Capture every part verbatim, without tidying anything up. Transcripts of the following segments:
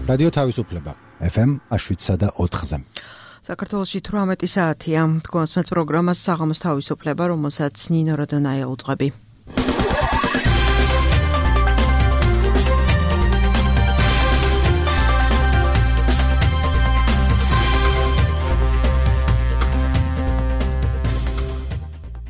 რადიო თავისუფლება ეფ ემ შვიდსა და ოთხზე. საქართველოში თვრამეტი საათია. თქვენს პროგრამას საღამოს თავისუფლება, რომელსაც ნინო როდონაია უძღვები.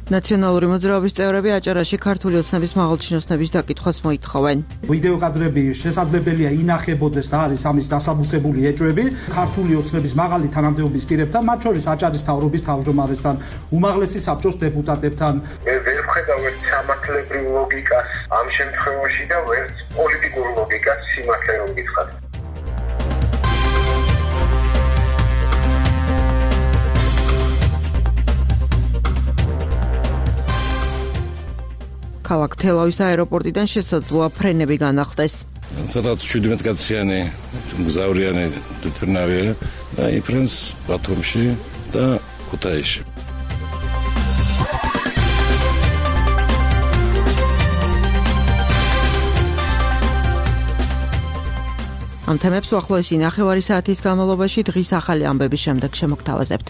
ნაციონალური მოძრაობის წევრები აჭარაში ქართული ოცნების მაღალჩინოსნების დაკითხვას მოითხოვენ. ვიდეო კადრები შესაძლებელია ინახებოდეს და არის ამის დასაბუთებული ეჭვები ქართული ოცნების მაღალი თანამდებობის პირებთან, მათ შორის აჭარის მთავრობის თავმჯდომარესთან, უმაღლესი საბჭოს დეპუტატებთან. მე ვერ ვხედავ ერთ სამართლებრივ ლოგიკას ამ შემთხვევაში და ვერც პოლიტიკურ ლოგიკას სიმართლე რომ გითხრათ. ქალაქ თელავის აეროპორტიდან შესაძლოა ფრენები განახლდეს. ცოტა შვიდმეტკაციანი მგზავრიანი თვითმფრინავია და იფრენს ბათუმში და ქუთაისში. ამ თემებს უახლოესი ნახევარი საათის განმავლობაში დღის ახალი ამბების შემდეგ შემოგთავაზებთ.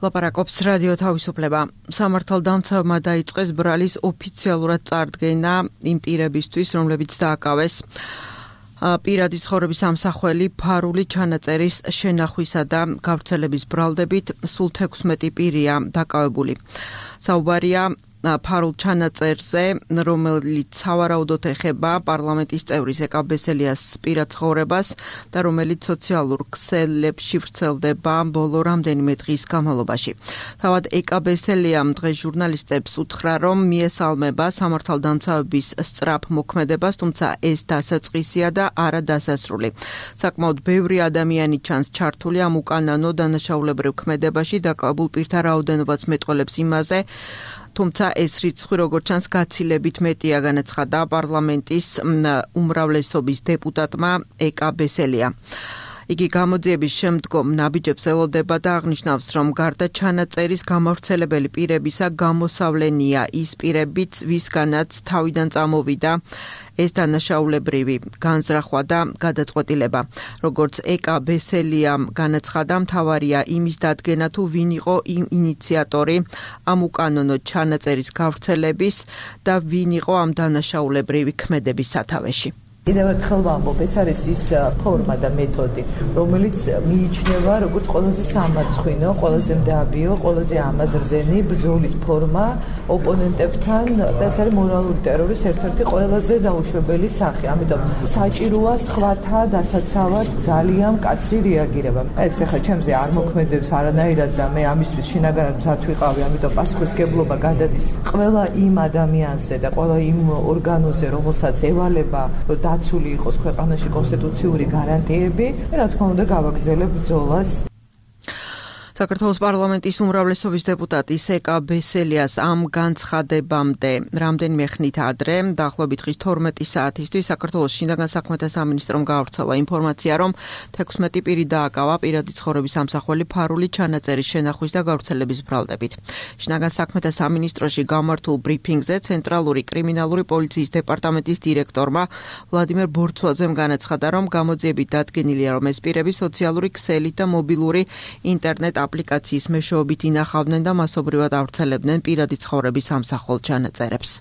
ლაპარაკობს რადიო თავისუფლება. სამართალდამცავმა დაიწყეს ბრალის ოფიციალურად წარდგენა იმ პირებისთვის, რომლებიც დააკავეს პირადი ცხოვრების ამსახველი ფარული ჩანაწერის შენახვისა და გავრცელების ბრალდებით სულ თექვსმეტი პირია დაკავებული. საუბარია ფარულ ჩანაწერზე, რომელიც სავარაუდოდ ეხება პარლამენტის წევრის ეკა ბესელიას პირად ცხოვრებას და რომელიც სოციალურ ქსელებში ვრცელდება ბოლო რამდენიმე დღის განმავლობაში. თავად ეკა ბესელიამ დღეს ჟურნალისტებს უთხრა, რომ მიესალმება სამართალდამცავების სწრაფ მოქმედებას, თუმცა ეს დასაწყისია და არა დასასრული. საკმაოდ ბევრი ადამიანი ჩანს ჩართული ამ უკანონო დანაშაულებრივ ქმედებაში, დაკავებულ პირთა რაოდენობაც მეტყველებს იმაზე, თუმცა ეს რიცხვი როგორც ჩანს გაცილებით მეტია, განაცხადა პარლამენტის უმრავლესობის დეპუტატმა ეკა ბესელია. იგი გამოძიების შემდგომ ნაბიჯებს ელოდება და აღნიშნავს, რომ გარდა ჩანაწერის გამავრცელებელი პირებისა გამოსავლენია ის პირებიც, ვისგანაც თავიდან წამოვიდა ეს დანაშაულებრივი განზრახვა და გადაწყვეტილება. როგორც ეკა ბესელიამ განაცხადა, მთავარია იმის დადგენა, თუ ვინ იყო ინიციატორი ამ უკანონო ჩანაწერის გავრცელების და ვინ იყო ამ დანაშაულებრივი ქმედების სათავეში. კიდევ ერთხელ ვამბობ, ეს არის ის ფორმა და მეთოდი, რომელიც მიიჩნევა როგორც ყველაზე სამარცხვინო, ყველაზე მდაბიო, ყველაზე ამაზრზენი ბრძოლის ფორმა ოპონენტებთან და ეს არის მორალური ტერორის ერთ-ერთი ყველაზე დაუშვებელი სახე. ამიტომ საჭიროა სხვათა დასაცავად ძალიან მკაცრი რეაგირება. ეს ახლა ჩემზე არ მოქმედებს არანაირად და მე ამისთვის შინაგანად მზად ვიყავი, ამიტომ პასუხისმგებლობა გადადის ყველა იმ ადამიანზე და ყველა იმ ორგანოზე, რომელსაც ევალება დაცული იყოს ქვეყანაში კონსტიტუციური გარანტიები, რა თქმა უნდა გავაგრძელებ ბრძოლას. საქართველოს პარლამენტის უმრავლესობის დეპუტატის ეკა ბესელიას ამ განცხადებამდე რამდენიმე ხნით ადრე, დაახლოებით დღის თორმეტი საათისთვის საქართველოს შინაგან საქმეთა სამინისტრომ გაავრცელა ინფორმაცია, რომ თექვსმეტი პირი დააკავა პირადი ცხოვრების ამსახველი ფარული ჩანაწერის შენახვის და გავრცელების ბრალდებით. შინაგან საქმეთა სამინისტროში გამართულ ბრიფინგზე ცენტრალური კრიმინალური პოლიციის დეპარტამენტის დირექტორმა ვლადიმერ ბორცვაძემ განაცხადა, რომ გამოძიებით დადგენილია, რომ ეს პირები სოციალური ქსელით და მობილური ინტერნეტ აპლიკაციის მეშვეობით ინახავდნენ და მასობრივად ავრცელებდნენ პირადი ცხოვრების ამსახველ ჩანაწერებს.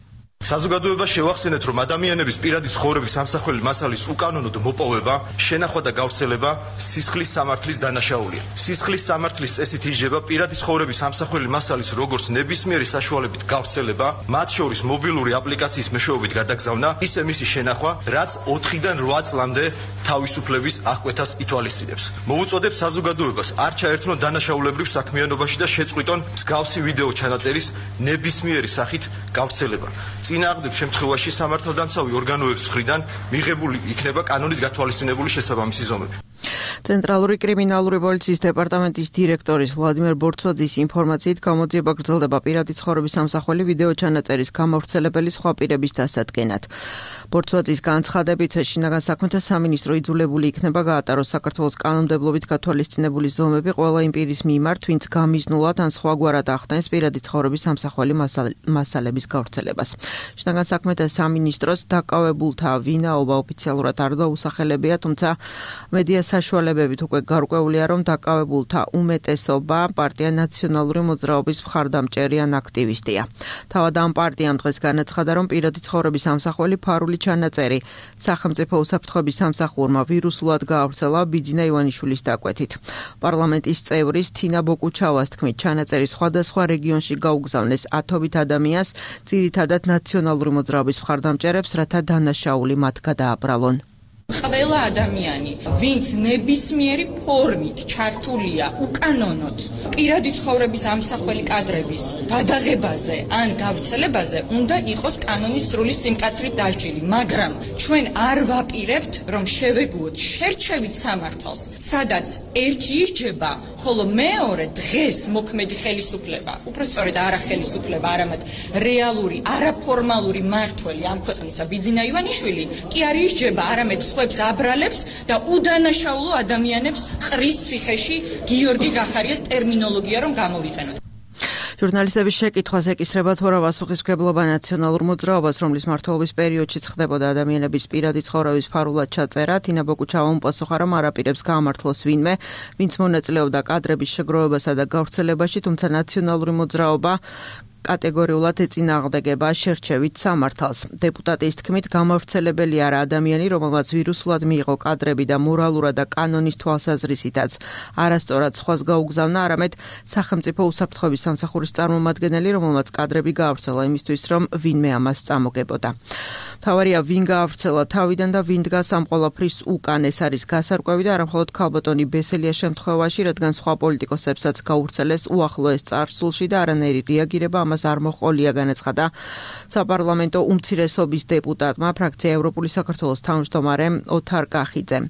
საზოგადოებას შევახსენეთ, რომ ადამიანების პირადი ცხოვრების ამსახველი მასალის უკანონოდ მოპოვება, შენახვა და გავრცელება სისხლის სამართლის დანაშაულია. სისხლის სამართლის წესით იჯება პირადი ცხოვრების ამსახველი მასალის როგორც ნებისმიერი საშუალებით გავრცელება, მათ შორის მობილური აპლიკაციის მეშვეობით გადაგზავნა, ისე მისი შენახვა, რაც ოთხიდან რვა წლამდე თავისუფლების აღკვეთას ითვალისწინებს. მოვუწოდებ საზოგადოებას არ ჩაერთნონ დანაშაულებრივ საქმიანობაში და შეწყვიტონ მსგავსი ვიდეო ჩანაწერის ნებისმიერი სახით გავრცელება. წინააღმდეგ შემთხვევაში სამართალდამცავი ორგანოების მხრიდან მიღებული იქნება კანონით გათვალისწინებული შესაბამისი ზომები. ცენტრალური კრიმინალური პოლიციის დეპარტამენტის დირექტორის ვლადიმერ ბორცვაძის ინფორმაციით გამოძიება გრძელდება პირადი ცხოვრების სამსახველი ვიდეო ჩანაწერის გამავრცელებელი სხვა პირების დასადგენად. ბორცვაძის განცხადებით შინაგან საქმეთა სამინისტრო იძულებული იქნება გაატაროს საქართველოს კანონმდებლობით გათვალისწინებული ზომები ყველა იმ პირის მიმართ, ვინც გამიზნულად ან სხვაგვარად ახდენს პირადი ცხოვრების სამსახველი მასალების გავრცელებას. შინაგან საქმეთა სამინისტროს დაკავებულთა ვინაობა ოფიციალურად არ დაუსახელებია, თუმცა მედია საშუალებებით უკვე გარკვეულია, რომ დაკავებულთა უმეტესობა პარტია ნაციონალური მოძრაობის მხარდამჭერი ან აქტივისტია. თავად ამ პარტიამ დღეს განაცხადა, რომ პირადი ცხოვრების სამსახველი ფარული ჩანაწერი სახელმწიფო უსაფრთხოების სამსახურმა ვირუსულად გაავრცელა ბიძინა ივანიშვილის დაკვეთით. პარლამენტის წევრის თინა ბოკუჩავას თქმით, ჩანაწერი სხვადასხვა რეგიონში გაუგზავნეს ათობით ადამიანს, ძირითადად ნაციონალური მოძრაობის მხარდამჭერებს, რათა დანაშაული მათ გადააბრალონ. ყველა ადამიანი, ვინც ნებისმიერი ფორმით ჩართულია უკანონოდ პირადი ცხოვრების ამსახველი კადრების გადაღებაზე ან გავრცელებაზე, უნდა იყოს კანონის სრული სიმკაცრით დასჯილი, მაგრამ ჩვენ არ ვაპირებთ, რომ შევეგუოთ შერჩევით სამართალს, სადაც ერთი ისჯება, ხოლო მეორე დღეს მოქმედი ხელისუფლება, უпростоრედ არა ხელისუფლება, არამედ რეალური, არაფორმალური მმართველი ამ ქვეყნისა ბიძინა ივანიშვილი კი არ ისჯება, არამედ სხვებს აბრალებს და უდანაშაულო ადამიანებს ყრის ციხეში გიორგი გახარიას ტერმინოლოგია რომ გამოვიყენოთ. ჟურნალისტების შეკითხვას ეკისრება თუ რა პასუხისმგებლობა ნაციონალურ მოძრაობას, რომლის მმართველობის პერიოდშიც ხდებოდა ადამიანების პირადი ცხოვრების ფარულად ჩაწერა, თინა ბოკუჩავამ პასუხა, რომ არ აპირებს გაამართლოს ვინმე, ვინც მონაწილეობდა კადრების შეგროვებასა და გავრცელებაში, თუმცა ნაციონალური მოძრაობა კატეგორიულად ეწინააღმდეგება შერჩევით სამართალს. დეპუტატის თქმით, გამავრცელებელი არა ადამიანი, რომელმაც ვირუსულად მიიღო კადრები და მორალურად და კანონის თვალსაზრისითაც არასწორად სხვას გაუგზავნა, არამედ სახელმწიფო უსაფრთხოების სამსახურის წარმომადგენელი, რომელმაც კადრები გაავრცელა იმისთვის, რომ ვინმე ამას წამოგებოდა. მთავარია, ვინ გაავრცელა თავიდან და ვინ დგას ამ ყველაფრის უკან, ეს არის გასარკვევი და არამხოლოდ ქალბატონი ბესელია შემთხვევაში, რადგან სხვა პოლიტიკოსებსაც გაავრცელეს უახლოეს წარსულში და არანაირი რეაგირება ამას არ მოჰყოლია, განაცხადა საპარლამენტო უმცირესობის დეპუტატმა ფრაქცია ევროპული საქართველოს თავმჯდომარე ოთარ კახიძემ.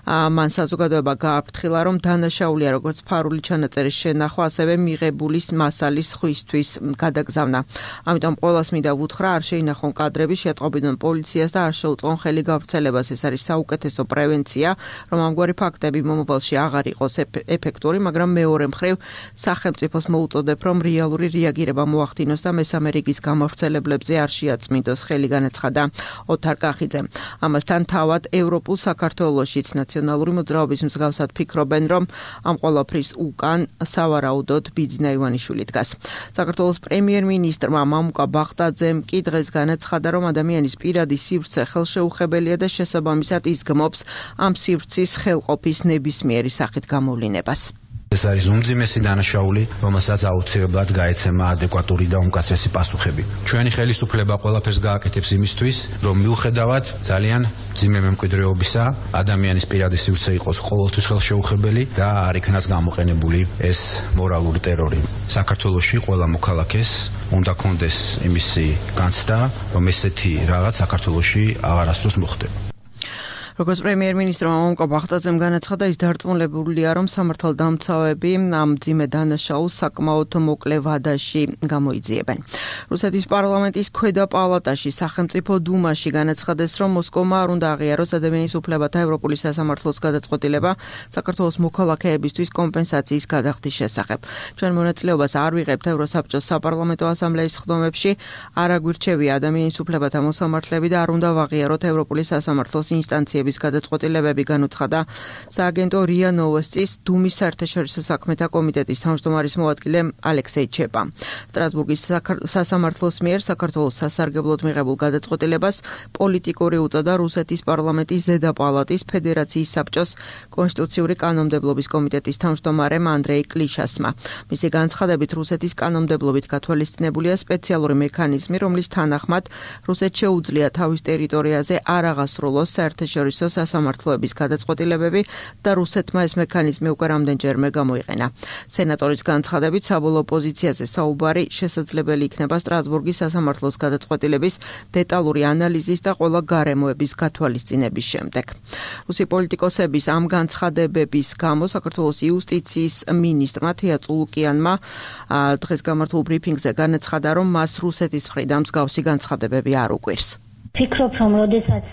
მან საზოგადოება გააფრთხილა, რომ დანაშაულია როგორც ფარული ჩანაწერის შენახვა, ასევე მიღებული მასალის ხვისთვის გადაგზავნა. ამიტომ ყველას მინდა ვუთხრა, არ შეინახონ კადრები, შეატყობინონ პოლიციას და არ შეუწყონ ხელი გავრცელებას. ეს არის საუკეთესო პრევენცია, რომ ამგვარი ფაქტები მომავალში აღარ იყოს ეფექტური, მაგრამ მეორე მხრივ სახელმწიფოს მოუწოდებ, რომ რეალური რეაგირება მოახდინოს და მესამე რიგის გამავრცელებლებზე არ შეაწმინდოს ხელი, განაცხადა ოთარ კახიძემ. ამასთან თავად ევროპულ საქართველოშიც ნაციონალური მოძრაობის მსგავსად ფიქრობენ, რომ ამ ყველაფრის უკან სავარაუდოდ ბიძინა ივანიშვილი დგას. საქართველოს პრემიერ-მინისტრმა მამუკა ბახტაძემ კი დღეს განაცხადა, რომ ადამიანის პირადი სივრცე ხელშეუხებელია და შესაბამისად იზგმობს ამ სივრცის ხელყოფის ნებისმიერი სახით გამოვლინებას. ეს არის უმძიმესი დანაშაული, რომელსაც აუცილებლად გაეცემა ადეკვატური და უმკაცრესი პასუხები. ჩვენი ხელისუფლება ყველაფერს გააკეთებს იმისთვის, რომ მიუხედავად ძალიან მძიმე მემკვიდრეობისა, ადამიანის პირადი სივრცე იყოს ყოველთვის ხელშეუხებელი და არ იქნას გამოყენებული ეს მორალური ტერორი. საქართველოში ყველა მოქალაქეს უნდა კონდეს იმისი განცდა, რომ ესეთი რაღაც საქართველოში აღარასდროს მოხდება. როგორც პრემიერ-მინისტრმა მამუკა ბახტაძემ განაცხადა, ის დარწმუნებულია, რომ სამართალდამცავები ამ მძიმე დანაშაულს საკმაოდ მოკლე ვადაში გამოიძიებენ. რუსეთის პარლამენტის ქვედა პალატაში სახელმწიფო დუმაში განაცხადეს, რომ მოსკოვმა არ უნდა აღიაროს ადამიანის უფლებათა ევროპული სასამართლოს გადაწყვეტილება საქართველოს მოქალაქეებისთვის კომპენსაციის გადახდის შესახებ. ჩვენ მონაწილეობას არ ვიღებთ ევროსაბჭოს საპარლამენტო ასამბლეის ხდომებში, არ აგვირჩევია ადამიანის უფლებათა მოსამართლეები და არ უნდა ვაღიაროთ ევროპული სასამართლოს ინსტანციები გადაწყვეტილებები, განუცხადა სააგენტო რია ნოვოსტის დუმის საერთაშორისო საქმეთა კომიტეტის თავმჯდომარის მოადგილე ალექსეი ჩეპა. სტრასბურგის სასამართლოს მიერ საქართველოს სასარგებლოდ მიღებულ გადაწყვეტილებას პოლიტიკური უწოდა რუსეთის პარლამენტის ზედა პალატის ფედერაციის საბჭოს კონსტიტუციური კანონმდებლობის კომიტეტის თავმჯდომარემ ანდრეი კლიშასმა. მისი განცხადებით, რუსეთის კანონმდებლობით გათვალისწინებულია სპეციალური მექანიზმი, რომლის თანახმად რუსეთს შეუძლია თავის ტერიტორიაზე არ აღასრულოს საერთაშორისო საერთაშორისო სასამართლოების გადაწყვეტილებები და რუსეთმა ეს მექანიზმი უკვე რამდენჯერმე გამოიყენა. სენატორის განცხადებით, საბოლოო პოზიციაზე საუბარი შესაძლებელი იქნება სტრასბურგის სასამართლოს გადაწყვეტილების დეტალური ანალიზის და ყველა გარემოების გათვალისწინების შემდეგ. რუსი პოლიტიკოსების ამ განცხადებების გამო საქართველოს იუსტიციის მინისტრმა თია წულუკიანმა დღეს გამართულ ბრიფინგზე განაცხადა, რომ მას რუსეთის მხრიდან მსგავსი განცხადებები არ უყვირს. ფიქრობ, რომ როდესაც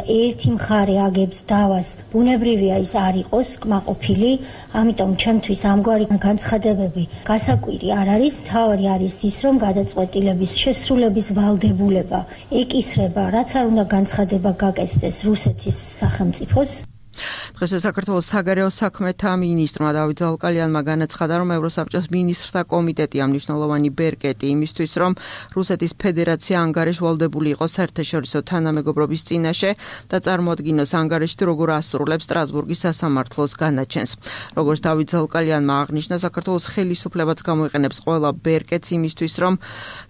ერთი მხარე აგებს დავას, ბუნებრივია ის არ იყოს კმაყოფილი, ამიტომ ჩემთვის ამგვარი განცხადებები გასაკვირი არ არის. მთავარი არის ის, რომ გადაწყვეტილების შესრულების ვალდებულება ეკისრება, რაც არ უნდა განცხადება გაკეთდეს რუსეთის სახელმწიფოს. დღეს საქართველოს საგარეო საქმეთა მინისტრმა დავით ზაუკალიანმა განაცხადა, რომ ევროსაბჭოს მინისტრთა კომიტეტი მნიშვნელოვანი ბერკეტი იმისთვის, რომ რუსეთის ფედერაცია ანგარიშ ვალდებული იყოს საერთაშორისო თანამეგობრობის წინაშე და წარმოადგინოს ანგარიშში როგორ ასრულებს სტრასბურგის სასამართლოს განაჩენს. როგორც დავით ზაუკალიანმა აღნიშნა, საქართველოს ხელისუფლებაც გამოიყენებს ყველა ბერკეტს იმისთვის, რომ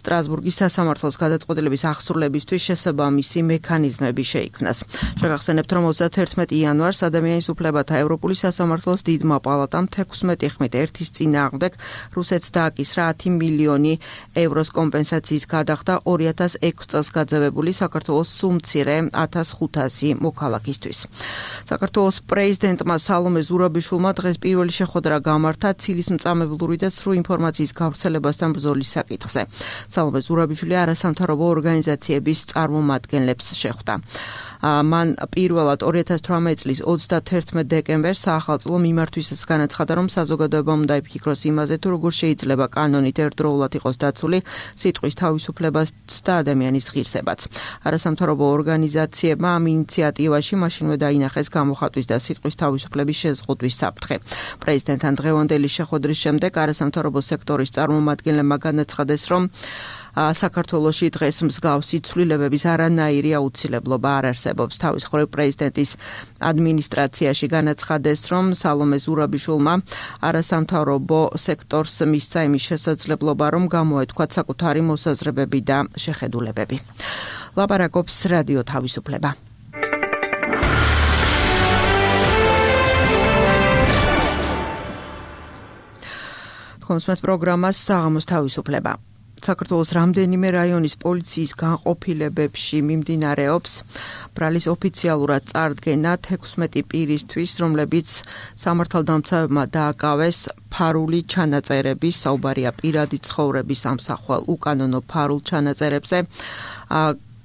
სტრასბურგის სასამართლოს გადაწყვეტილების აღსრულებისთვის შესაბამისი მექანიზმები შეიქმნას. შეგახსენებთ, რომ ოცდათერთმეტი იანვარს ადამიანის უფლებათა ევროპული სასამართლოს დიდმა პალატამ თექვსმეტი ხმით ერთის წინააღმდეგ რუსეთს დააკისრა ათი მილიონი ევროს კომპენსაციის გადახდა ორი ათას ექვსი წელს გაძევებული საქართველოს სუმცირე ათას ხუთასი მოქალაქისთვის. საქართველოს პრეზიდენტმა სალომე ზურაბიშვილმა დღეს პირველი შეხვედრა გამართა ცილისმწამებლური და ცრუ ინფორმაციის გავრცელებასთან ბრძოლის საკითხზე. სალომე ზურაბიშვილი არასამთავრობო ორგანიზაციების წარმომადგენლებს შეხვდა. მან პირველად ორი ათას თვრამეტი წლის ოცდათერთმეტ დეკემბერს საახალწლო მიმართვისას განაცხადა, რომ საზოგადოებამ უნდა იფიქროს იმაზე, თუ როგორ შეიძლება კანონით ერთდროულად იყოს დაცული სიტყვის თავისუფლებაც და ადამიანის ღირსებაც. არასამთავრობო ორგანიზაციებმა ამ ინიციატივაში მაშინვე დაინახეს გამოხატვის და სიტყვის თავისუფლების შეზღუდვის საფრთხე. პრეზიდენტთან დღევანდელი შეხვედრის შემდეგ არასამთავრობო სექტორის წარმომადგენლებმა განაცხადეს, რომ საქართველოში დღეს მსგავსი ცვლილებების არანაირი აუცილებლობა არ არსებობს. თავის მხრივ პრეზიდენტის ადმინისტრაციაში განაცხადეს, რომ სალომე ზურაბიშვილმა არასამთავრობო სექტორს მისცა იმის შესაძლებლობა, რომ გამოეთქვათ საკუთარი მოსაზრებები და შეხედულებები. ლაპარაკობს რადიო თავისუფლება. თქვენს პროგრამას საღამოს თავისუფლება. საქართველოს რამდენიმე რაიონის პოლიციის განყოფილებებში მიმდინარეობს ბრალის ოფიციალურად წარდგენა თექვსმეტი პირისთვის, რომლებიც სამართალდამცავებმა დააკავეს ფარული ჩანაწერების, საუბარია პირადი ცხოვრების ამსახველ უკანონო ფარულ ჩანაწერებზე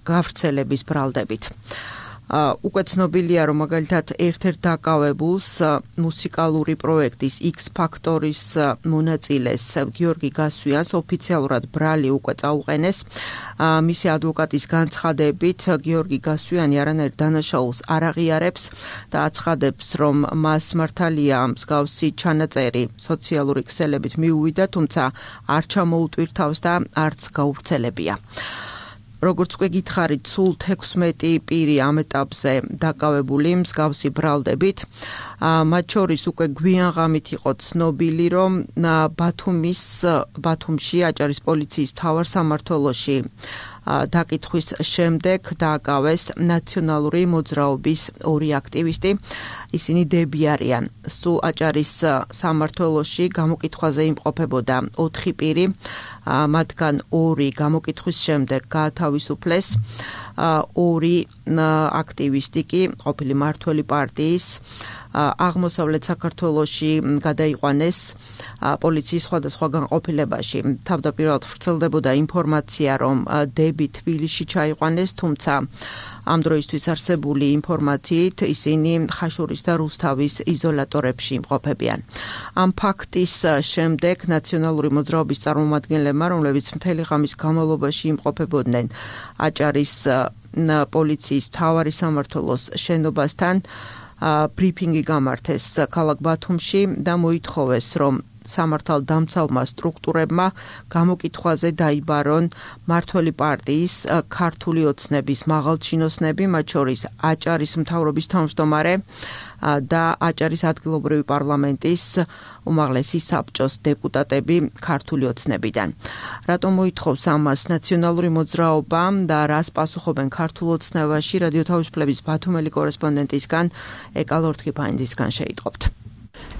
გავრცელების ბრალდებით. უკვე ცნობილია, რომ მაგალითად ერთ-ერთ დაკავებულს მუსიკალური პროექტის X Factor-ის მონაწილეს გიორგი გასვიანს ოფიციალურად ბრალი უკვე წაუყენეს. მისი ადვოკატის განცხადებით, გიორგი გასვიანი არანაირ დანაშაულს არ აღიარებს და აცხადებს, რომ მას მართალია მსგავსი ჩანაწერი სოციალური ქსელებით მიუვიდა, თუმცა არ ჩამოუტვირთავს და არც გაუვრცელებია. როგორც უკვე გითხარით, სულ თექვსმეტი პირი ამ ეტაპზე დაკავებული მსგავსი ბრალდებით. მათ შორის უკვე გვიანღამით იყო ცნობილი, რომ ბათუმის ბათუმში აჭარის პოლიციის მთავარ სამმართველოში დაკითხვის შემდეგ დააკავეს ნაციონალური მოძრაობის ორი აქტივისტი. ისინი დები არიან. სულ აჭარის სამმართველოში გამოკითხვაზე იმყოფებოდა ოთხი პირი, მათგან ორი გამოკითხვის შემდეგ გაათავისუფლეს. ორი აქტივისტი კი ყოფილი მართველი პარტიის აღმოსავლეთ საქართველოში გადაიყვანეს პოლიციის სხვადასხვა განყოფილებაში. თავდაპირველად ვრცელდებოდა ინფორმაცია, რომ დები თბილისში ჩაიყვანეს, თუმცა ამ დროისთვის არსებული ინფორმაციით ისინი ხაშურის და რუსთავის იზოლატორებში იმყოფებიან. ამ ფაქტის შემდეგ ნაციონალური მოძრაობის წარმომადგენლებმა, რომლებიც მთელი ღამის განმავლობაში იმყოფებოდნენ აჭარის პოლიციის მთავარი სამმართველოს შენობასთან, ბრიფინგი გამართეს ქალაქ ბათუმში და მოითხოვეს, რომ სამართალდამცავმა სტრუქტურებმა გამოკითხვაზე დაიბარონ მართველი პარტიის ქართული ოცნების მაღალჩინოსნები, მათ შორის აჭარის მთავრობის თავმჯდომარე და აჭარის ადგილობრივი პარლამენტის უმაღლესი საბჭოს დეპუტატები ქართული ოცნებიდან. რატომ მოითხოვს ამას ნაციონალური მოძრაობა და რას პასუხობენ ქართულ ოცნებაში? რადიო თავისუფლების ბათუმელი კორესპონდენტისგან ეკალორთქი ფაინდისგან შეიტყობთ.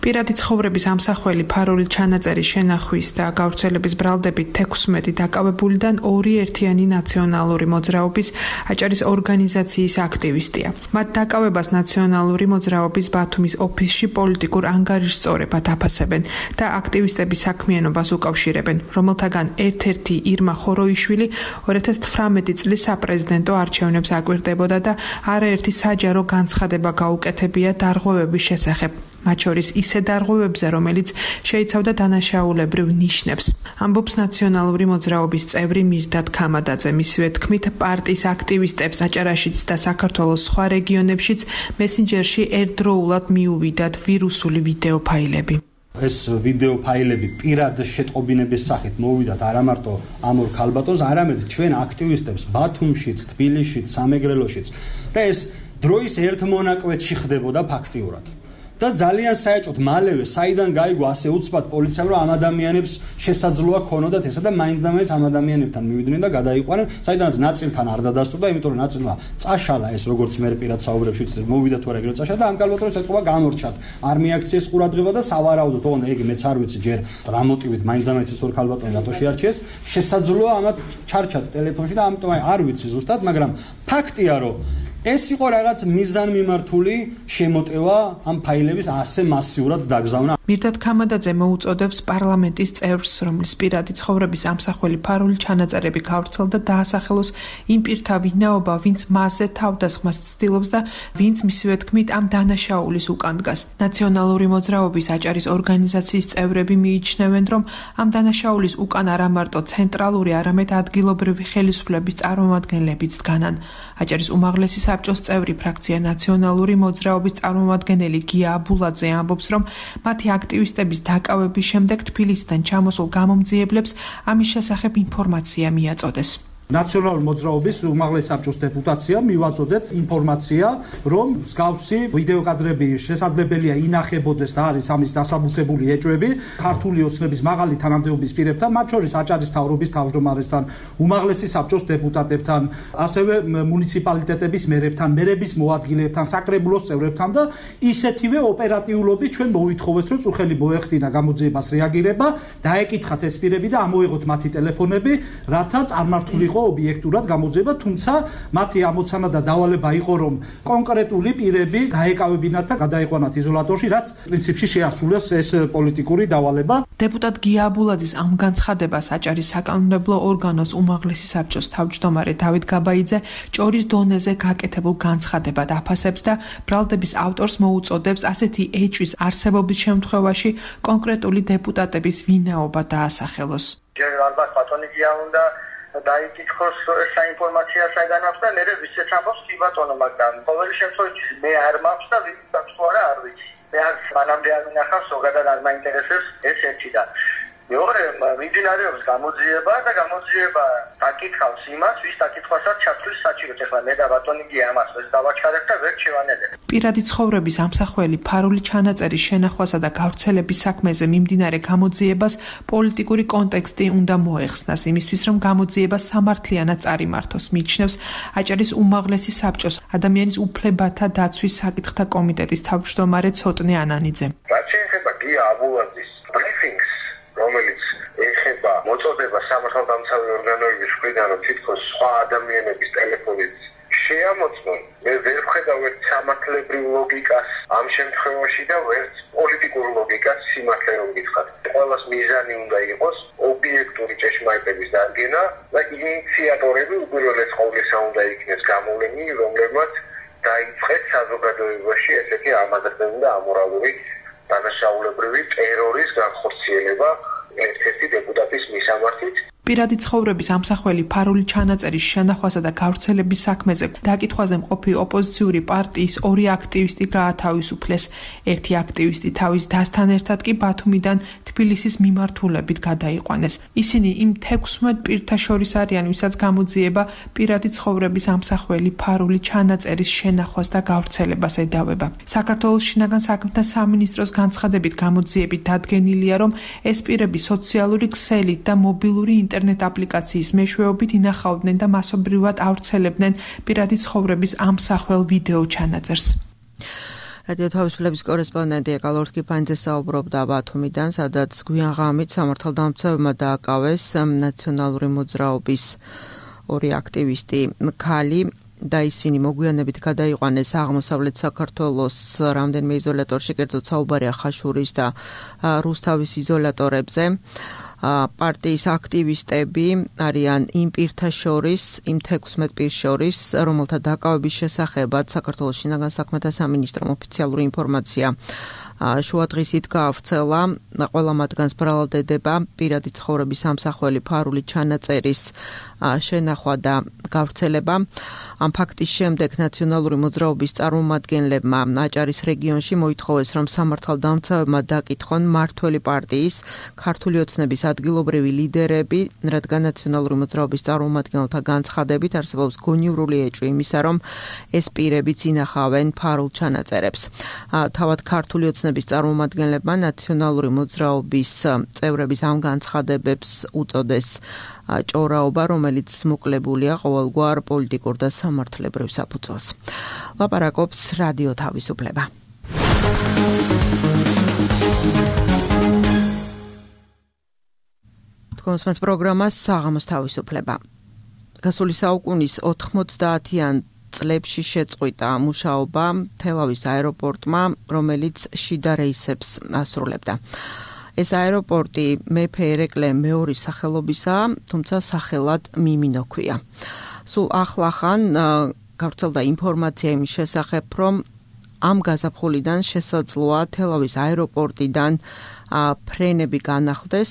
პირადი ცხოვრების ამსახველი ფარული ჩანაწერის შენახვის და გავრცელების ბრალდებით თექვსმეტი დაკავებულიდან ორი ერთიანი ნაციონალური მოძრაობის აჭარის ორგანიზაციის აქტივისტია. მათ დაკავებას ნაციონალური მოძრაობის ბათუმის ოფისში პოლიტიკურ ანგარიშსწორებად აფასებენ და აქტივისტების საქმიანობას უკავშირებენ, რომელთაგან ერთ-ერთი ირმა ხოროიშვილი ორი ათას თვრამეტი წლის საპრეზიდენტო არჩევნებს აკვირდებოდა და არაერთი საჯარო განცხადება გაუკეთებია დარღვევების შესახებ. მათ შორის ისე დარღვევებზე, რომელიც შეიცავდა დანაშაულებრივ ნიშნებს. ამბობს ნაციონალური მოძრაობის წევრი მირდად ქამადაძე. მისივე თქმით, პარტიის აქტივისტებს აჭარაშიც და საქართველოს სხვა რეგიონებშიც მესენჯერში ერთდროულად მიუვიდათ ვირუსული ვიდეო ფაილები. ეს ვიდეო ფაილები პირად შეტყობინების სახით მოვიდათ არა მარტო ამ ორ ქალბატონს, არამედ ჩვენ აქტივისტებს ბათუმშიც, თბილისშიც, სამეგრელოშიც და ეს დროის ერთ მონაკვეთში ხდებოდა ფაქტიურად. და ძალიან საეჭვოდ მალევე საიდან გაიგო ასე უცბად პოლიციამ, რომ ამ ადამიანებს შესაძლოა ქონოდათ ესა და მაინც და მაინც ამ ადამიანებთან მივიდნენ და გადაიყვანენ, საიდანაც ნაწილთან არ დადასტურდა, იმიტომ რომ ნაწილმა წაშალა ეს როგორც მე პირად საუბრებში ვცდები, მოვიდა თუ არა ეგრე წაშალა და ამ კალბატონს ეთქობა გამორჩათ. არ მიაქციეს ყურადღება და სავარაუდოდ, ოღონდ ეგ მეც არ ვიცი ჯერ რა მოტივით მაინც და მაინც ეს ორ კალბატონი რატო შეარჩიეს, შესაძლოა ამათ ჩარჩათ ტელეფონში და ამიტომ არ ვიცი ზუსტად, მაგრამ ფაქტია რომ ეს იყო რაღაც მიზანმიმართული შემოტევა ამ ფაილების ასე მასიურად დაგზავნა. მირდად ქამადაძე მოუწოდებს პარლამენტის წევრს, რომლის პირადი ცხოვრების ამსახველი ფარული ჩანაწერები გავრცელდა, დაასახელოს იმ პირთა ვინაობა, ვინც მასზე თავდასხმას ცდილობს და ვინც მისივე თქმით ამ დანაშაულის უკან დგას. ნაციონალური მოძრაობის აჭარის ორგანიზაციის წევრები მიიჩნევენ, რომ ამ დანაშაულის უკან არა მარტო ცენტრალური, არამედ ადგილობრივი ხელისუფლების წარმომადგენლებიც დგანან. აჭარის უმაღლესი საბჭოს წევრი ფრაქცია ნაციონალური მოძრაობის წარმომადგენელი გია აბულაძე ამბობს, რომ მათი აქტივისტების დაკავების შემდეგ თბილისიდან ჩამოსულ გამომძიებლებს ამის შესახებ ინფორმაცია მიაწოდეს. ნაციონალური მოძრაობის უმაღლესი საბჭოს დეპუტაცია მივაწოდეთ ინფორმაცია, რომ მსგავსი ვიდეო კადრები შესაძლებელია ინახებოდეს და არის ამის დასაბუთებული ეჭვები ქართული ოცნების მაღალი თანამდებობის პირებთან, მათ შორის აჭარის მთავრობის თავმჯდომარესთან, უმაღლესი საბჭოს დეპუტატებთან, ასევე მუნიციპალიტეტების მერებთან, მერების მოადგილეებთან, საკრებულოს წევრებთან და ისეთივე ოპერატიულობით ჩვენ მოვითხოვეთ, რომ წუხელი მოეხდინა გამოძიებას რეაგირება, დაეკითხათ ეს პირები და ამოეღოთ მათი ტელეფონები, რათა წარმართული იყო ობიექტურად გამოძიება, თუმცა მათი ამოცანა და დავალება იყო, რომ კონკრეტული პირები გაეკავებინათ და გადაიყვანათ იზოლატორში, რაც პრინციპში შეასრულეს ეს პოლიტიკური დავალება. დეპუტატ გია აბულაძის ამ განცხადებას აჭარის საკანონმდებლო ორგანოს უმაღლესი საბჭოს თავმჯდომარე დავით გაბაიძე ჭორის დონეზე გაკეთებულ განცხადებად აფასებს და ბრალდების ავტორს მოუწოდებს ასეთი ეჭვის არსებობის შემთხვევაში კონკრეტული დეპუტატების ვინაობა დაასახელოს. ჯერ ალბათ ბატონი გია უნდა დაიკითხოს საინფორმაციო საგანავს და მე ვისაც ამბობს კი ბატონო, მაგრამ ყოველი შემთხვევაში მე არ მაქვს და ვისაც თუ არა არ ვიცი. მე არ მანამდე არ მინახავს, ზოგადად არ მაინტერესებს ეს ერთი და მეორე მიმდინარეობს გამოძიება და გამოძიება დაკითხავს იმას, ვის დაკითხვასაც ჩათვლის საჭიროდ. ეხლა მე და ბატონი გია ამას ეს დავაჩქარებ და ვერ შევანელებ. პირადი ცხოვრების ამსახველი ფარული ჩანაწერის შენახვასა და გავრცელების საქმეზე მიმდინარე გამოძიებას პოლიტიკური კონტექსტი უნდა მოეხსნას, იმისთვის რომ გამოძიება სამართლიანად წარიმართოს, მიიჩნევს აჭარის უმაღლესი საბჭოს ადამიანის უფლებათა დაცვის საკითხთა კომიტეტის თავმჯდომარე ცოტნე ანანიძე. რაც შეეხება გია აბულაძის ბრიფინგს, რომელიც ეხება მოწოდება სამართალდამცავი ორგანოების მხრიდან, რომ თითქოს სხვა ადამიანების ტელეფონით შეამოწმონ, მე ვერ ვხედავ ერთ სამართლებრივ ლოგიკას ამ შემთხვევაში და ვერც პოლიტიკურ ლოგიკას სიმართლე რომ გითხრათ. ყველას მიზანი უნდა იყოს ობიექტური ჭეშმარიტების დადგენა და ინიციატორები უპირველეს ყოვლისა უნდა იქნეს გამოვლენილი, რომლებმაც დაიწყეს საზოგადოებაში ესეთი ამადრებელი და ამორალური დანაშაულებრივი ტერორის განხორციელება ერთ-ერთი დეპუტატის მისამართით. პირადი ცხოვრების ამსახველი ფარული ჩანაწერის შენახვასა და გავრცელების საქმეზე დაკითხვაზე მყოფი ოპოზიციური პარტიის ორი აქტივისტი გაათავისუფლეს. ერთი აქტივისტი თავის დასთან ერთად კი ბათუმიდან თბილისის მიმართულებით გადაიყვანეს. ისინი იმ თექვსმეტ პირთა შორის არიან, ვისაც გამოძიება პირადი ცხოვრების ამსახველი ფარული ჩანაწერის შენახვას და გავრცელებას ედავება. საქართველოს შინაგან საქმეთა სამინისტროს განცხადებით გამოძიებით დადგენილია, რომ ეს პირები სოციალური ქსელით და მობილური ინტერნეტ აპლიკაციის მეშვეობით ინახავდნენ და მასობრივად ავრცელებდნენ პირადი ცხოვრების ამსახველ ვიდეო ჩანაწერს. რადიო თავისუფლების კორესპონდენტი ეკალორ კიფანიძე საუბრობდა ბათუმიდან, სადაც გვიან ღამით სამართალდამცავებმა დააკავეს ნაციონალური მოძრაობის ორი აქტივისტი ქალი და ისინი მოგვიანებით გადაიყვანეს აღმოსავლეთ საქართველოს რამდენიმე იზოლატორში, კერძოდ საუბარია ხაშურის და რუსთავის იზოლატორებზე. პარტიის აქტივისტები არიან იმ პირთა შორის, იმ თექვსმეტ პირს შორის, რომელთა დაკავების შესახებაც საქართველოს შინაგან საქმეთა სამინისტრომ ოფიციალური ინფორმაცია შუადღისით გაავრცელა. ყველა მათგანს ბრალად ედება პირადი ცხოვრების ამსახველი ფარული ჩანაწერის შენახვა და გავრცელება. ამ ფაქტის შემდეგ ნაციონალური მოძრაობის წარმომადგენლებმა აჭარის რეგიონში მოითხოვეს, რომ სამართალდამცავებმა დაკითხონ მმართველი პარტიის ქართული ოცნების ადგილობრივი ლიდერები, რადგან ნაციონალური მოძრაობის წარმომადგენელთა განცხადებით არსებობს გონივრული ეჭვი იმისა, რომ ეს პირებიც ინახავენ ფარულ ჩანაწერებს. თავად ქართული ოცნების წარმომადგენლებმა ნაციონალური მოძრაობის წევრების ამ განცხადებებს უწოდეს ჭორაობა, რომელიც მოკლებულია ყოველგვარ პოლიტიკურ და სამართლებრივ საფუძველს. ლაპარაკობს რადიო თავისუფლება. თქვენს პროგრამას საღამოს თავისუფლება. გასული საუკუნის ოთხმოცდაათიან წლებში შეწყვიტა მუშაობა თელავის აეროპორტმა, რომელიც შიდა რეისებს ასრულებდა. ეს აეროპორტი მეფე ერეკლე მეორის სახელობისაა, თუმცა სახელად მიმინო ქვია. სულ ახლახან გავრცელდა ინფორმაცია იმის შესახებ, რომ ამ გაზაფხულიდან შესაძლოა თელავის აეროპორტიდან ფრენები განახლდეს,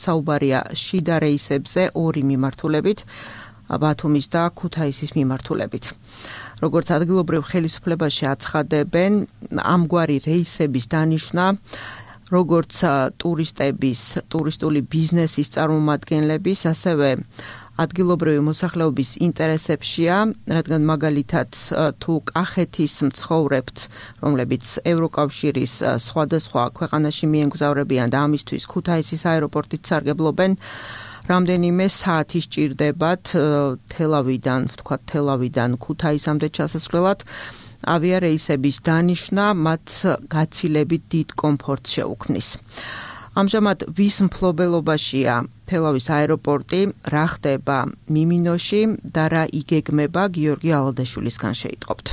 საუბარია შიდა რეისებზე ორი მიმართულებით, ბათუმის და ქუთაისის მიმართულებით. როგორც ადგილობრივ ხელისუფლებაში აცხადებენ, ამგვარი რეისების დანიშვნა როგორც ტურისტების, ტურისტული ბიზნესის წარმომადგენლების, ასევე ადგილობრივი მოსახლეობის ინტერესებშია, რადგან მაგალითად თუ კახეთის მცხოვრებთ, რომლებიც ევროკავშირის სხვადასხვა ქვეყანაში მიემგზავრებიან და ამისთვის ქუთაისის აეროპორტით სარგებლობენ, რამდენიმე საათი სჭირდებათ თელავიდან, ვთქვათ თელავიდან ქუთაისამდე ჩასასვლელად. ავიარეისების დანიშვნა მათ გაცილებით დიდ კომფორტს შეუქმნის. ამჟამად ვის მფლობელობაშია თელავის აეროპორტი, რა ხდება მიმინოში და რა იგეგმება, გიორგი ალადაშვილისგან შეიტყობთ.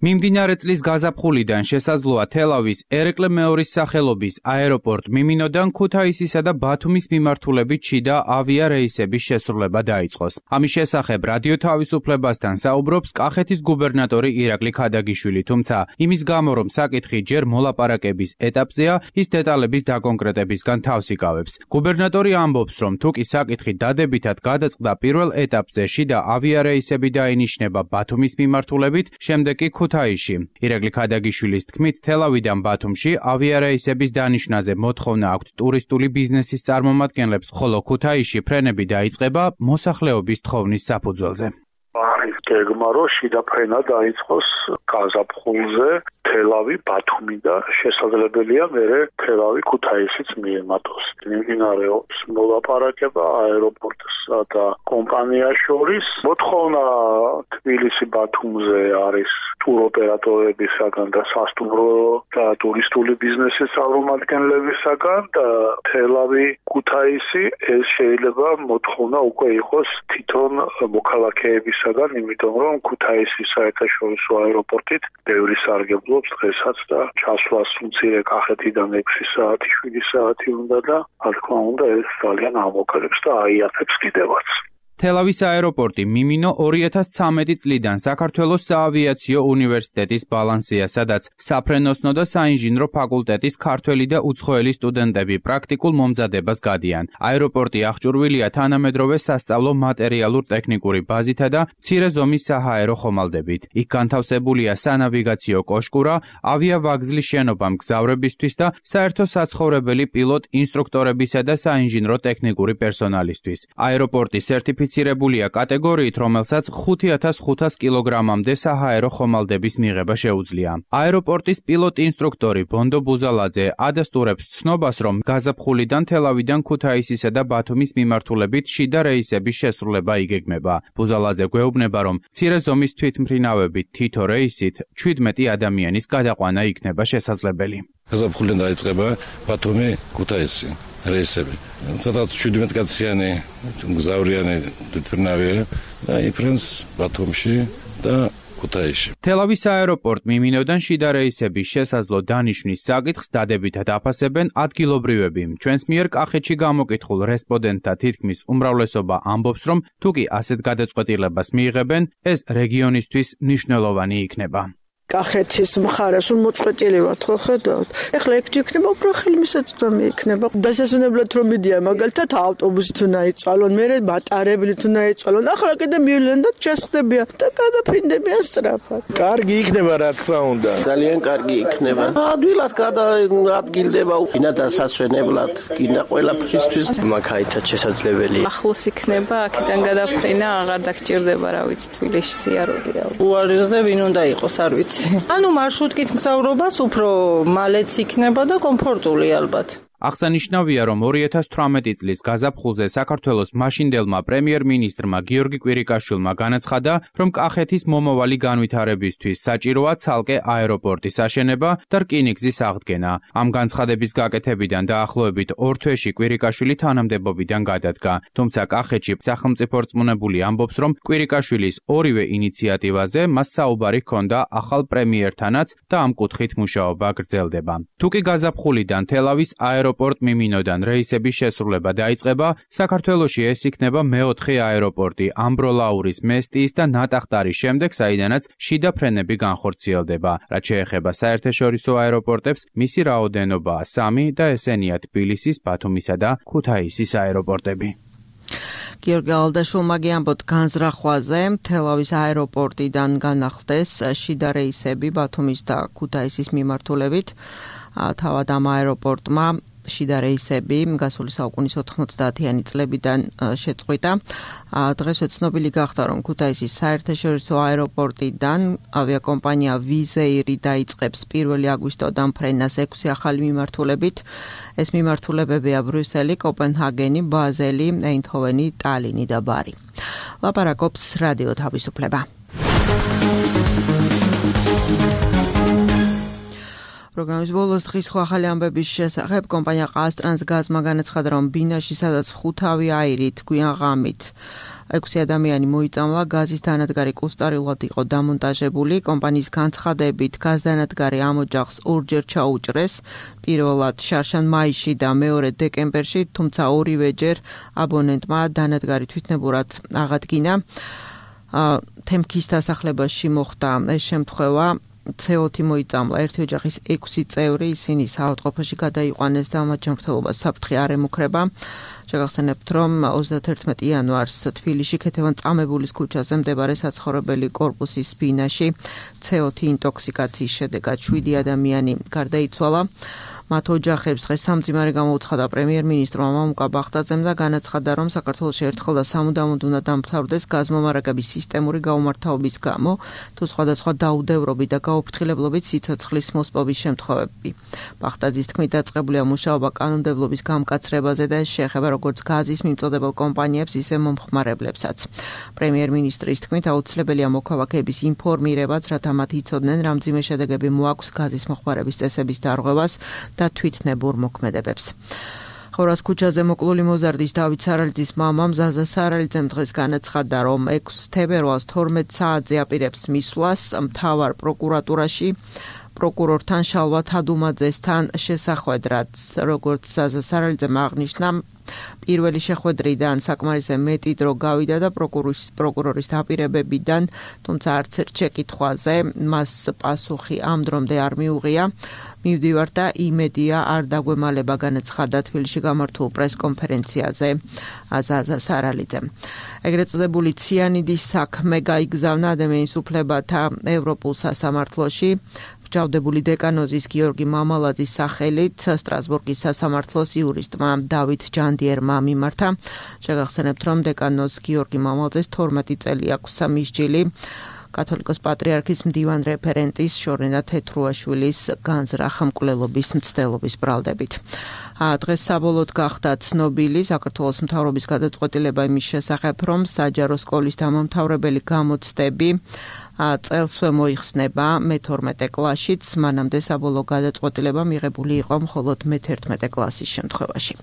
მიმდინარე წლის გაზაფხულიდან შესაძლოა თელავის ერეკლე მეორის სახელობის აეროპორტ მიმინოდან ქუთაისისა და ბათუმის მიმართულებით შიდა ავიარეისების შესრულება დაიწყოს. ამის შესახებ რადიო თავისუფლებასთან საუბრობს კახეთის გუბერნატორი ირაკლი ქადაგიშვილი, თუმცა იმის გამო, რომ საკითხი ჯერ მოლაპარაკების ეტაპზეა, ის დეტალების დაკონკრეტებისგან თავს იკავებს. გუბერნატორი ამბობს, რომ თუკი საკითხი დადებითად გადაწყდა პირველ ეტაპზე, შიდა ავიარეისები დაინიშნება ბათუმის მიმართულებით, შემდეგ კი ქუთაისში. ირაკლი ქადაგიშვილის თქმით, თელავიდან ბათუმში ავიარეისების დანიშვნაზე მოთხოვნა აქვთ ტურისტული ბიზნესის წარმომადგენლებს, ხოლო ქუთაისში ფრენები დაიწყება მოსახლეობის თხოვნის საფუძველზე. არის გეგმა, რომ შიდა ფრენა დაიწყოს გაზაფხულზე თელავი, ბათუმი და შესაძლებელია მერე თელავი ქუთაისიც მიემატოს. მიმდინარეობს მოლაპარაკება აეროპორტსა და კომპანიას შორის. მოთხოვნა თბილისი ბათუმზე არის ტუროპერატორებისაგან და სასტუმრო და ტურისტული ბიზნესის წარმომადგენლებისაგან და თელავი, ქუთაისი, ეს შეიძლება მოთხოვნა უკვე იყოს თვითონ მოქალაქეებისაგან, იმიტომ რომ ქუთაისის საერთაშორისო აეროპორტით ბევრი სარგებლობს დღესაც და ჩასვლას მცირე კახეთიდან ექვსი საათი, შვიდი საათი უნდა და რა თქმა უნდა ეს ძალიან ამოკლებს და აიაფებს კიდევაც. თელავის აეროპორტი მიმინო ორი ათას ცხრამეტი წლიდან საქართველოს საავიაციო უნივერსიტეტის ბალანსია, სადაც საფრენოსნო და საინჟინრო ფაკულტეტის ქართველი და უცხოელი სტუდენტები პრაქტიკულ მომზადებას გადიან. აეროპორტი აღჭურვილია თანამედროვე სასწავლო მატერიალურ-ტექნიკური ბაზითა და მცირე ზომის საჰაერო ხომალდებით. იქ განთავსებულია სანავიგაციო კოშკურა, ავიავაგზლის შენობა მგზავრებისთვის და საერთო საცხოვრებელი პილოტ ინსტრუქტორებისა და საინჟინრო ტექნიკური პერსონალისთვის. აეროპორტი სერტიფიცირებულია კატეგორიით, რომელსაც ხუთი ათას ხუთას კილოგრამამდე საჰაერო ხომალდების მიღება შეუძლია. აეროპორტის პილოტ ინსტრუქტორი ბონდო ბუზალაძე ადასტურებს ცნობას, რომ გაზაფხულიდან თელავიდან ქუთაისისა და ბათუმის მიმართულებით შიდა რეისების შესრულება იგეგმება. ბუზალაძე გვეუბნება, რომ მცირე ზომის თვითმფრინავებით თითო რეისით ჩვიდმეტი ადამიანის გადაყვანა იქნება შესაძლებელი. გაზაფხულიდან დაიწყება ბათუმი ქუთაისი რეისები. სადაც შვიდმეტი კაციანი მგზავრიანი თვითმფრინავია და იფრენს ბათუმში და ქუთაისში. თელავის აეროპორტ მიმინოდან შიდა რეისების შესაძლო დანიშვნის საკითხს დადებითად აფასებენ ადგილობრივები. ჩვენს მიერ კახეთში გამოკითხულ რესპონდენტთა თითქმის უმრავლესობა ამბობს, რომ თუკი ასეთ გადაწყვეტილებას მიიღებენ, ეს რეგიონისთვის მნიშვნელოვანი იქნება. კახეთის მხარეს რომ მოწყვეტილი ვართ ხო ხედავთ. ეხლა ეგ იქნება უფრო ხელმისაწვდომი იქნება. დასასვენებლად რომ მიდიან მაგალითად ავტობუსით უნდა იწვალონ, მერე ბატარებლით უნდა იწვალონ. ახლა კიდე მივლენ და ჩესხდებიან და გადაფინდებიან სწრაფად. კარგი იქნება რა თქმა უნდა. ძალიან კარგი იქნება. ადვილად გადაადგილდება ვინა დასასვენებლად, გინდა ყველაფრისთვის მაგაითად შესაძლებელია. ახლოს იქნება, აქედან გადაფრენა აღარ დაგჭირდება, რა ვიცი, თბილისში სიარულია. უარზე ვინ უნდა იყოს, არ ვიცი. ანუ მარშრუტკით მგზავრობას უფრო მალეც იქნება და კომფორტული ალბათ. აღსანიშნავია, რომ ორი ათას თვრამეტი წლის გაზაფხულზე საქართველოს მაშინდელმა პრემიერ-მინისტრმა გიორგი კვირიკაშვილმა განაცხადა, რომ კახეთის მომავალი განვითარებისთვის საჭიროა ცალკე აეროპორტის აშენება და რკინიგზის აღდგენა. ამ განცხადების გაკეთებიდან დაახლოებით ორ თვეში კვირიკაშვილი თანამდებობიდან გადადგა. თუმცა კახეთში სახელმწიფო რწმუნებული ამბობს, რომ კვირიკაშვილის ორივე ინიციატივაზე მას საუბარი ჰქონდა ახალ პრემიერთანაც და ამ კუთხით მუშაობა გრძელდება. თუკი გაზაფხულიდან თელავის აეროპორტი აეროპორტ მიმინოდან რეისების შესრულება დაიწყება, საქართველოში ეს იქნება მეოთხე აეროპორტი ამბროლაურის, მესტიის და ნატახტარის შემდეგ, საიდანაც შიდა ფრენები განხორციელდება. რაც შეეხება საერთაშორისო აეროპორტებს, მისი რაოდენობაა სამი და ესენია თბილისის, ბათუმისა და ქუთაისის აეროპორტები. გიორგი ალდაშულმა გიამბოთ განზრახვაზე, თელავის აეროპორტიდან განახლდეს შიდა რეისები ბათუმის და ქუთაისის მიმართულებით. თავად ამ აეროპორტმა შიდა რეისები გასული საუკუნის ოთხმოცდაათიანი წლებიდან შეწყვიტა. დღესვე ცნობილი გახდა, რომ ქუთაისის საერთაშორისო აეროპორტიდან ავიაკომპანია ვიზეირი დაიწყებს პირველი აგვისტოდან ფრენას ექვსი ახალი მიმართულებით. ეს მიმართულებებია ბრიუსელი, კოპენჰაგენი, ბაზელი, ეინდჰოვენი, ტალინი და ბარი. ლაპარაკობს რადიო თავისუფლება. პროგრამის ბოლოს დღის სხვა ახალი ამბების შესახებ კომპანია ყაზტრანსგაზმა განაცხადა, რომ ბინაში, სადაც ხუთავი აირით გვიან ღამით ექვსი ადამიანი მოიწამლა, გაზის დანადგარი კუსტარილად იყო დამონტაჟებული. კომპანიის განცხადებით, გაზდანადგარი ამ ოჯახს ორჯერ ჩაუჭრეს, პირველად შარშან მაისში და მეორე დეკემბერში, თუმცა ორივეჯერ აბონენტმა დანადგარი თვითნებურად აღადგინა. თემქის დასახლებაში მოხდა ეს შემთხვევა. ცე ოთხი მოიწამლა ერთი ოჯახის ექვსი წევრი, ისინი საავადმყოფოში გადაიყვანეს და მათ ჯანმრთელობას საფრთხე არ ემუქრება. შეგახსენებთ, რომ ოცდათერთმეტი იანვარს თბილისში ქეთევან-წამებულის ქუჩაზე მდებარე საცხოვრებელი კორპუსის ბინაში ცე ოთხი ინტოქსიკაციის შედეგად შვიდი ადამიანი გარდაიცვალა. მათ ოჯახებს დღეს სამძიმარე გამოუცხადა პრემიერ-მინისტრმა მამუკა ბახტაძემ და განაცხადა, რომ საქართველოში ერთხელ და სამუდამოდ უნდა დამთავრდეს გაზმომარაგების სისტემური გაუმართავობის გამო, თუ სხვადასხვა დაუდევრობით და გაუფრთხილებლობით სიცოცხლის მოსპობის შემთხვევები. ბახტაძის თქმით, დაწყებულია მუშაობა კანონმდებლობის გამკაცრებაზე და ეს შეეხება როგორც გაზის მიმწოდებელ კომპანიებს, ისე მომხმარებლებსაც. პრემიერ-მინისტრის თქმით, აუცილებელია მოქალაქეების ინფორმირებაც, რათა მათ იცოდნენ, რა მძიმე შედეგები მოაქვს გაზის მოხმარების წესების დარღვევას და თვითნებურ მოქმედებებს. ხორას ქუჩაზე მოკლული მოზარდის დავით სარალიძის მამამ ზაზა სარალიძემ დღეს განაცხადა, რომ ექვსი თებერვალს თორმეტ საათზე აპირებს მისვლას მთავარ პროკურატურაში პროკურორთან შალვა თადუმაძესთან შესახვედრად. როგორც ზაზა სარალიძემ აღნიშნა, პირველი შეხვედრიდან საკმარისზე მეტი დრო გავიდა და პროკურორის პროკურორის დაპირებებიდან, თუმცა არც ერთ შეკითხვაზე მას პასუხი ამ დრომდე არ მიუღია. მივდივარ და იმედია არ დაგვემალება, განაცხადა თბილისში გამართულ პრესკონფერენციაზე ზაზა სარალიძემ. ეგრეთ წოდებული ციანიდის საქმე გაიგზავნა ადამიანის უფლებათა ევროპულ სასამართლოში. ჯავდებული დეკანოზის გიორგი მამალაძის სახელით სტრასბურგის სასამართლოს იურისტმა დავით ჯანდიერმა მიმართა. შეგახსენებთ, რომ დეკანოზ გიორგი მამალაძეს თორმეტი წელი აქვს სამისჯილი კათოლიკოს პატრიარქის მდივან რეფერენტის შორენა თეთრუაშვილის განზრახ მკვლელობის მცდელობის ბრალდებით. დღეს საბოლოოდ გახდა ცნობილი საქართველოს მთავრობის გადაწყვეტილება იმის შესახებ, რომ საჯარო სკოლის დამამთავრებელი გამოცდები წელსვე მოიხსნება მეთორმეტე კლასშიც, მანამდე საბოლოო გადაწყვეტილება მიღებული იყო მხოლოდ მეთერთმეტე კლასის შემთხვევაში.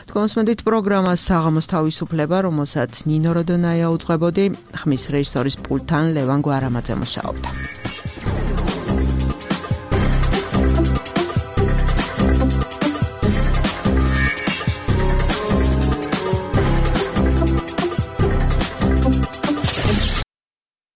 თქვენსმენდით პროგრამას საღამოს თავისუფლება, რომელსაც ნინო როდონაია უძღვებოდი, ხმის რეჟისორის პულტთან ლევან გვარამაძე მუშაობდა.